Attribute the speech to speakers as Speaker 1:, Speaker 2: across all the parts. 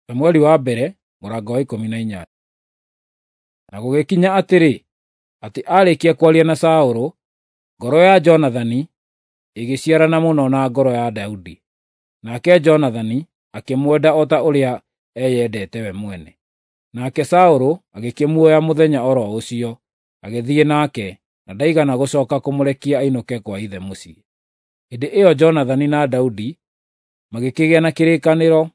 Speaker 1: Samueli wa mbere mũrango wa 18. Na gũgĩkinya atĩrĩ, atĩ aarĩkia kwaria na Saũlũ, ngoro ya Jonathani ĩgĩciarana mũno na ngoro ya Daudi. Nake Jonathani akĩmwenda o ta ũrĩa eyendete we mwene. Nake Saũlũ agĩkĩmuoya mũthenya o ro ũcio, agĩthiĩ nake, na ndaigana gũcooka kũmũrekia ainũke kwa ithe mũciĩ. Hĩndĩ ĩyo Jonathani na Daudi magĩkĩgĩa na kĩrĩkanĩro,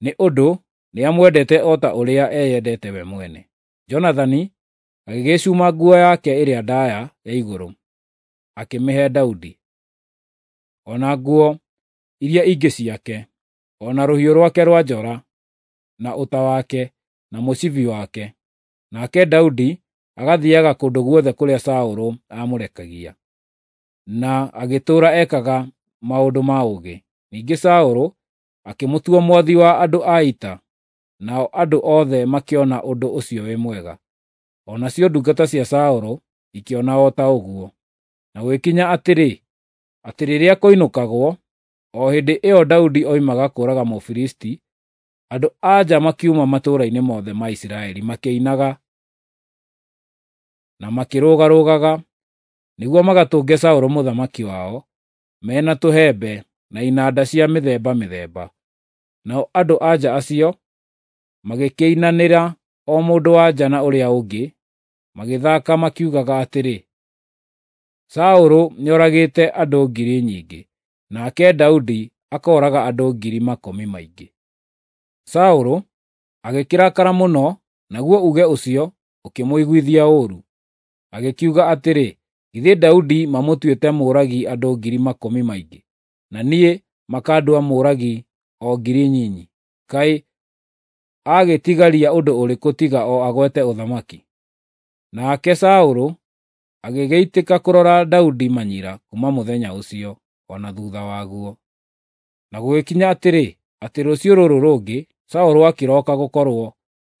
Speaker 1: nĩ ũndũ nĩamwendete o ta ũrĩa eyendete we mwene. Jonathani agĩgĩcuma nguo yake ĩrĩa ndaaya ya igũrũ, akĩmĩhe Daudi, o na nguo iria ingĩ ciake, o na rũhiũ rwake rwa njora, na ũta wake, na mũcibi wake. Nake Daudi agathiiaga kũndũ guothe kũrĩa Saũlũ aamũrekagia, na agĩtũũra ekaga maũndũ ma ũũgĩ. Ningĩ Saũlũ akĩmũtua mwathi wa andũ a ita, nao andũ othe makĩona ũndũ ũcio wĩ mwega. O nacio ndungata cia Saũlũ ikĩona o ta ũguo. Na gũgĩkinya atĩrĩ, atĩ rĩrĩa koinũkagwo, o hĩndĩ ĩyo Daudi oimaga kũũraga Mũfilisti, andũ-a-nja makiuma matũũra-inĩ mothe ma Isiraeli makĩinaga na makĩrũgarũgaga nĩguo magatũnge Saũlũ mũthamaki wao, me na tũhembe na inanda cia mĩthemba mĩthemba. Nao andũ-a-nja acio magĩkĩinanĩra o mũndũ-wa-nja na ũrĩa ũngĩ, magĩthaaka makiugaga atĩrĩ, “Saũlũ nĩoragĩte andũ ngiri nyingĩ, nake Daudi akooraga andũ ngiri makũmi maingĩ.” Saũlũ agĩkĩrakara mũno, naguo uuge ũcio ũkĩmũiguithia ũũru. Agĩkiuga atĩrĩ, “Githĩ Daudi mamũtuĩte mũũragi andũ ngiri makũmi maingĩ, na niĩ makandua mũũragi o ngiri nyinyi? Kaĩ agĩtigaria ũndũ ũrĩkũ tiga o agwete ũthamaki?” Nake Saũlũ agĩgĩitĩka kũrora Daudi manyira kuuma mũthenya ũcio, o na thuutha waguo. Na gũgĩkinya atĩrĩ, atĩ rũciũ rũrũ rũngĩ, Saũlũ akĩroka gũkorwo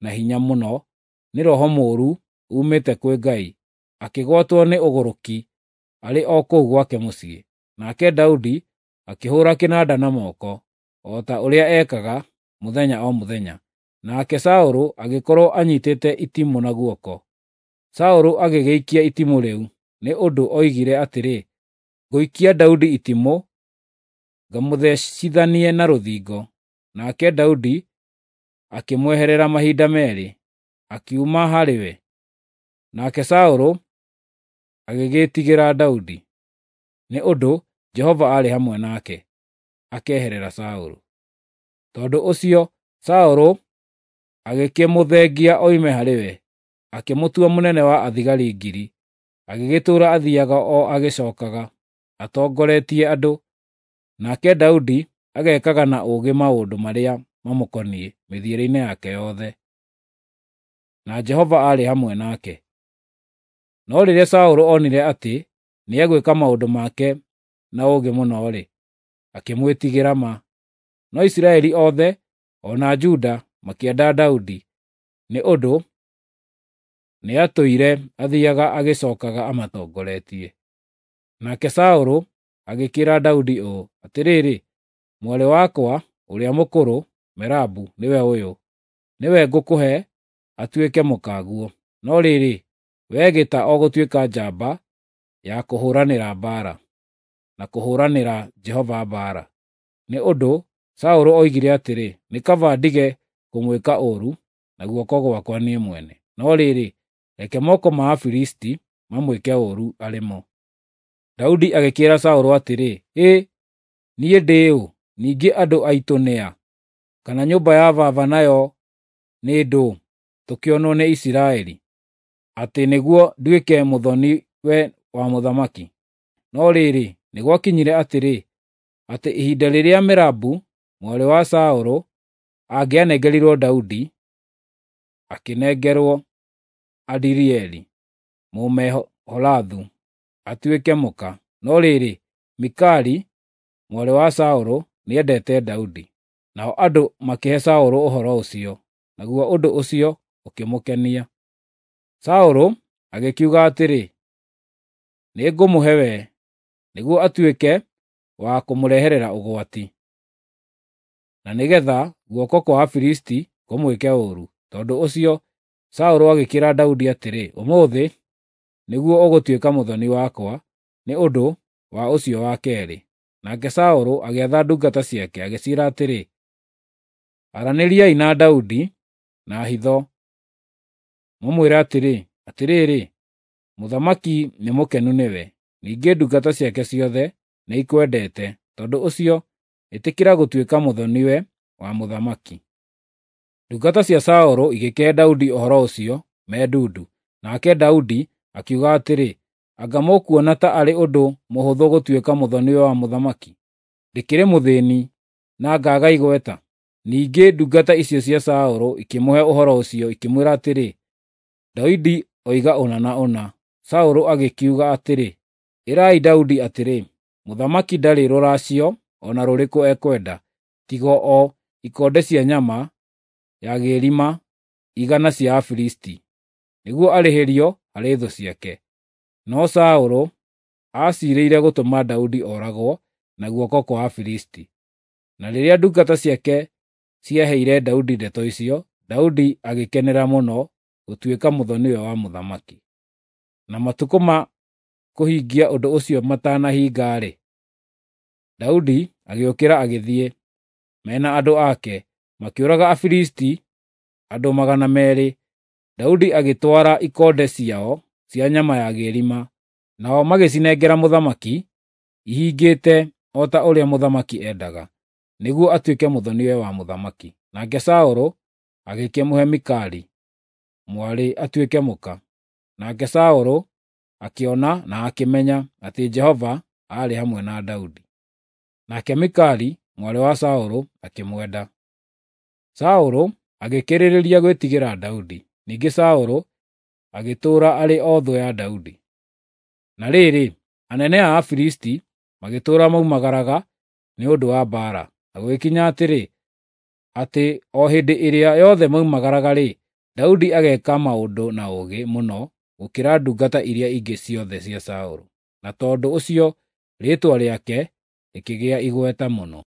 Speaker 1: na hinya mũno nĩ roho mũũru uumĩte kwĩ Ngai, akĩgwatwo nĩ ũgũrũki arĩ o kũu gwake mũciĩ. Nake Daudi akĩhũũra kĩnanda na moko, o ta ũrĩa ekaga mũthenya o mũthenya. Nake Saũlũ agĩkorwo anyiitĩte itimũ na guoko. Saũlũ agĩgĩikia itimũ rĩu, nĩ ũndũ oigire atĩrĩ, “Ngũikia Daudi itimũ, ngamũthecithanie na rũthingo.” Nake Daudi akĩmweherera mahinda meerĩ, akiuma harĩ we. Nake Saũlũ agĩgĩĩtigĩra Daudi, nĩ ũndũ Jehova aarĩ hamwe nake, akeherera Saũlũ. Tondũ ũcio Saũlũ agĩkĩmũthengia oime harĩ we, akĩmũtua mũnene wa athigari ngiri, agĩgĩtũũra athiiaga o agĩcookaga, atongoretie andũ. Nake Daudi agekaga na ũũgĩ maũndũ marĩa mamũkoniĩ mĩthiĩre-inĩ yake yothe, na Jehova aarĩ hamwe nake. No rĩrĩa Saũlũ onire atĩ nĩegwĩka maũndũ make na ũũgĩ mũno-rĩ, akĩmwĩtigĩra ma. No Isiraeli othe o na Juda makĩenda Daudi, nĩ ũndũ nĩatũire athiiaga agĩcookaga amatongoretie. Nake Saũlũ agĩkĩĩra Daudi ũũ, “Atĩrĩrĩ, mwarĩ wakwa ũrĩa mũkũrũ, Merabu, nĩwe ũyũ. Nĩwe ngũkũhe atuĩke mũkaguo. No rĩrĩ, wee gĩta o gũtuĩka njamba ya kũhũũranĩra mbaara, na kũhũũranĩra Jehova mbaara.” Nĩ ũndũ Saũlũ oigire atĩrĩ, “Nĩ kaba ndige kũmwĩka ũũru na guoko gwakwa niĩ mwene. No rĩrĩ, reke moko ma Afilisti mamwĩke ũũru arĩ mo.” Daudi agĩkĩĩra Saũlũ atĩrĩ, “Hĩ, niĩ ndĩ ũ, ningĩ andũ aitũ nĩ a? Kana nyũmba ya baba nayo nĩ ndũũ, tũkĩonwo nĩ Isiraeli, atĩ nĩguo nduĩke mũthoni-we wa mũthamaki?” No rĩrĩ, nĩ gwakinyire atĩrĩ, atĩ ihinda rĩrĩa Merabu, mwarĩ wa Saũlũ, angĩanengerirwo Daudi, akĩnengerwo Adirieli Mũmeholathu atuĩke mũka. No rĩrĩ, Mikali, mwarĩ wa Saũlũ, nĩendete Daudi. Nao andũ makĩhe Saũlũ ũhoro ũcio, naguo ũndũ ũcio ũkĩmũkenia. Saũlũ agĩkiuga atĩrĩ, “Nĩngũmũhe we, nĩguo atuĩke wa kũmũreherera ũgwati.” Na na nĩgeetha guoko kwa Afilisti kũmwĩke ũũru. Tondũ ũcio Saũlũ agĩkĩĩra Daudi atĩrĩ, “Ũmũthĩ nĩguo ũgũtuĩka mũthoni wakwa nĩ ũndũ wa ũcio wa keerĩ.” Nake Saũlũ agĩatha ndungata ciake, agĩciĩra atĩrĩ, “Aranĩriai na Daudi na hitho, mũmwĩre atĩrĩ, ‘Atĩrĩrĩ, mũthamaki nĩ mũkenu nĩwe, ningĩ ndungata ciake ciothe nĩikwendete, tondũ ũcio ĩtĩkĩra gũtuĩka mũthoni-we wa mũthamaki.’ ” Ndungata cia Saũlũ igĩkĩhe Daudi ũhoro ũcio me ndundu, nake Daudi akiuga atĩrĩ, “Anga mũkuona ta arĩ ũndũ mũhũthũ gũtuĩka mũthoni-we wa mũthamaki? Ndĩkĩrĩ mũthĩĩni na ngaaga igweta.” Ningĩ ndungata icio cia Saũlũ ikĩmũhe ũhoro ũcio, ikĩmwĩra atĩrĩ, “Daudi oiga ũna na ũna.” Saũlũ agĩkiuga atĩrĩ, “Ĩrai Daudi atĩrĩ, ‘Mũthamaki ndarĩ rũracio o na rũrĩkũ ekwenda, tiga o ikonde cia nyama ya gĩrima 100 cia Afilisti, nĩguo arĩhĩrio harĩ thũ ciake.’ ” No Saũlũ aaciirĩire gũtũma Daudi ooragwo na guoko kwa Afilisti. Na rĩrĩa ndungata ciake ciaheire Daudi ndeto icio, Daudi agĩkenera mũno gũtuĩka mũthoni-we wa mũthamaki. Na matukũ ma kũhingia ũndũ ũcio matanahinga-rĩ, Daudi agĩũkĩra agĩthiĩ, me na andũ ake, makĩũraga Afilisti andũ 200. Daudi agĩtwara ikonde ciao cia nyama ya gĩrima, nao magĩcinengera mũthamaki ihingĩte o ta ũrĩa mũthamaki endaga, nĩguo atuĩke mũthoni-we wa mũthamaki. Nake Saũlũ agĩkĩmũhe Mikali mwarĩ atuĩke mũka. Nake Saũlũ akĩona na akĩmenya atĩ Jehova aarĩ hamwe na Daudi. Nake Mikali mwarĩ wa Saũlũ akĩmwenda. Saũlũ agĩkĩrĩrĩria gwĩtigĩra Daudi. Ningĩ Saũlũ agĩtũũra arĩ o thũ ya Daudi. Na rĩrĩ, anene a Afilisti magĩtũũra moimagaraga nĩ ũndũ wa mbaara. Na gũgĩkinya atĩrĩ, atĩ o hĩndĩ ĩrĩa yothe moimagaraga-rĩ, Daudi ageka maũndũ na ũũgĩ mũno gũkĩra ndungata iria ingĩ ciothe cia Saũlũ. Na tondũ ũcio rĩĩtwa rĩake rĩkĩgĩa igweta mũno.